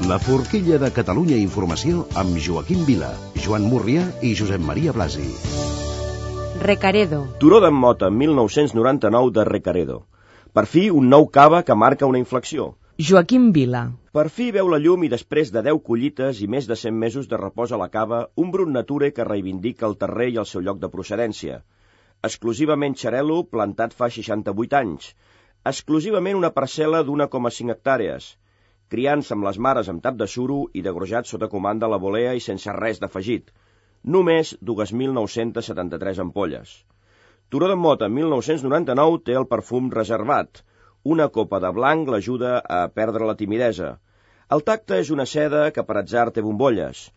La forquilla de Catalunya Informació amb Joaquim Vila, Joan Múrria i Josep Maria Blasi. Recaredo. Turó d'en Mota, 1999 de Recaredo. Per fi, un nou cava que marca una inflexió. Joaquim Vila. Per fi veu la llum i després de 10 collites i més de 100 mesos de repòs a la cava, un brut nature que reivindica el terrer i el seu lloc de procedència. Exclusivament xarel·lo, plantat fa 68 anys. Exclusivament una parcel·la d'1,5 hectàrees. Criança amb les mares amb tap de suro i degrojat sota comanda a la volea i sense res d'afegit. Només 2.973 ampolles. Turó d'en Mota, 1999, té el perfum reservat. Una copa de blanc l'ajuda a perdre la timidesa. El tacte és una seda que per atzar té bombolles.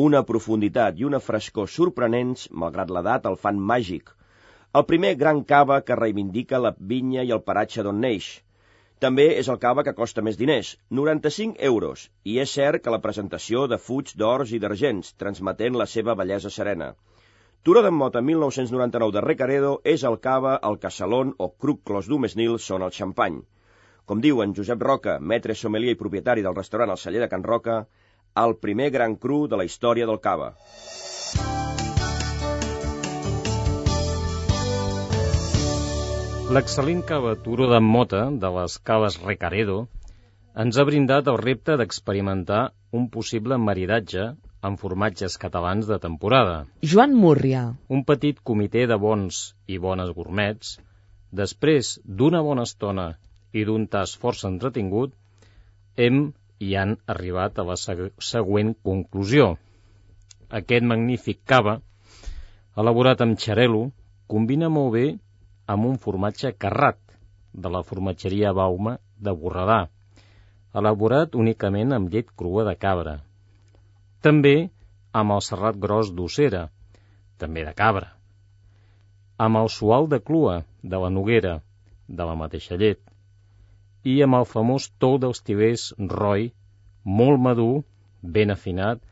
Una profunditat i una frescor sorprenents, malgrat l'edat, el fan màgic. El primer gran cava que reivindica la vinya i el paratge d'on neix. També és el cava que costa més diners, 95 euros, i és cert que la presentació de fuig d'ors i d'argents, transmetent la seva bellesa serena. Turó d'en Mota, 1999 de Recaredo, és el cava, el casalón o cruc clos d'Umesnil són el xampany. Com diu en Josep Roca, maître sommelier i propietari del restaurant El Celler de Can Roca, el primer gran cru de la història del cava. L'excel·lent cava Turó d'en Mota, de les caves Recaredo, ens ha brindat el repte d'experimentar un possible maridatge amb formatges catalans de temporada. Joan Múrria. Un petit comitè de bons i bones gourmets, després d'una bona estona i d'un tast força entretingut, hem i han arribat a la següent conclusió. Aquest magnífic cava, elaborat amb xarel·lo, combina molt bé amb un formatge carrat de la formatgeria Bauma de Borredà, elaborat únicament amb llet crua de cabra. També amb el serrat gros d'ossera, també de cabra, amb el sual de clua de la Noguera, de la mateixa llet, i amb el famós tou dels Tibers Roy, molt madur, ben afinat,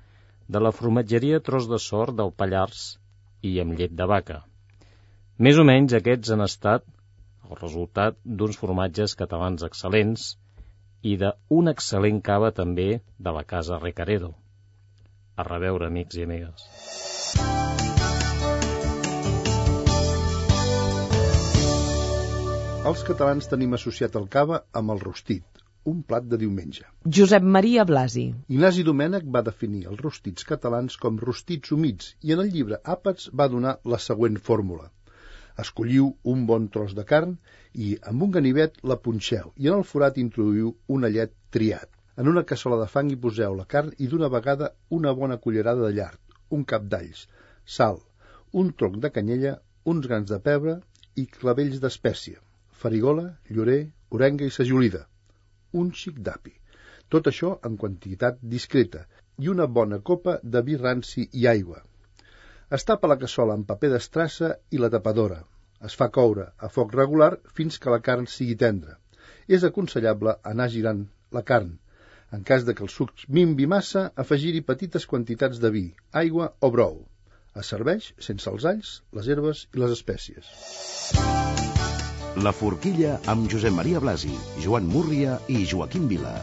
de la formatgeria Tros de Sort del Pallars i amb llet de vaca. Més o menys aquests han estat el resultat d'uns formatges catalans excel·lents i d'un excel·lent cava també de la casa Recaredo. A reveure, amics i amigues. Els catalans tenim associat el cava amb el rostit, un plat de diumenge. Josep Maria Blasi. Ignasi Domènech va definir els rostits catalans com rostits humits i en el llibre Àpats va donar la següent fórmula. Escolliu un bon tros de carn i amb un ganivet la punxeu i en el forat introduïu un allet triat. En una cassola de fang hi poseu la carn i d'una vegada una bona cullerada de llard, un cap d'alls, sal, un tronc de canyella, uns grans de pebre i clavells d'espècia, farigola, llorer, orenga i sajolida, un xic d'api. Tot això en quantitat discreta i una bona copa de vi ranci i aigua. Es tapa la cassola amb paper d'estrassa i la tapadora. Es fa coure a foc regular fins que la carn sigui tendra. És aconsellable anar girant la carn. En cas de que el suc minvi massa, afegir-hi petites quantitats de vi, aigua o brou. Es serveix sense els alls, les herbes i les espècies. La forquilla amb Josep Maria Blasi, Joan Múrria i Joaquim Vila.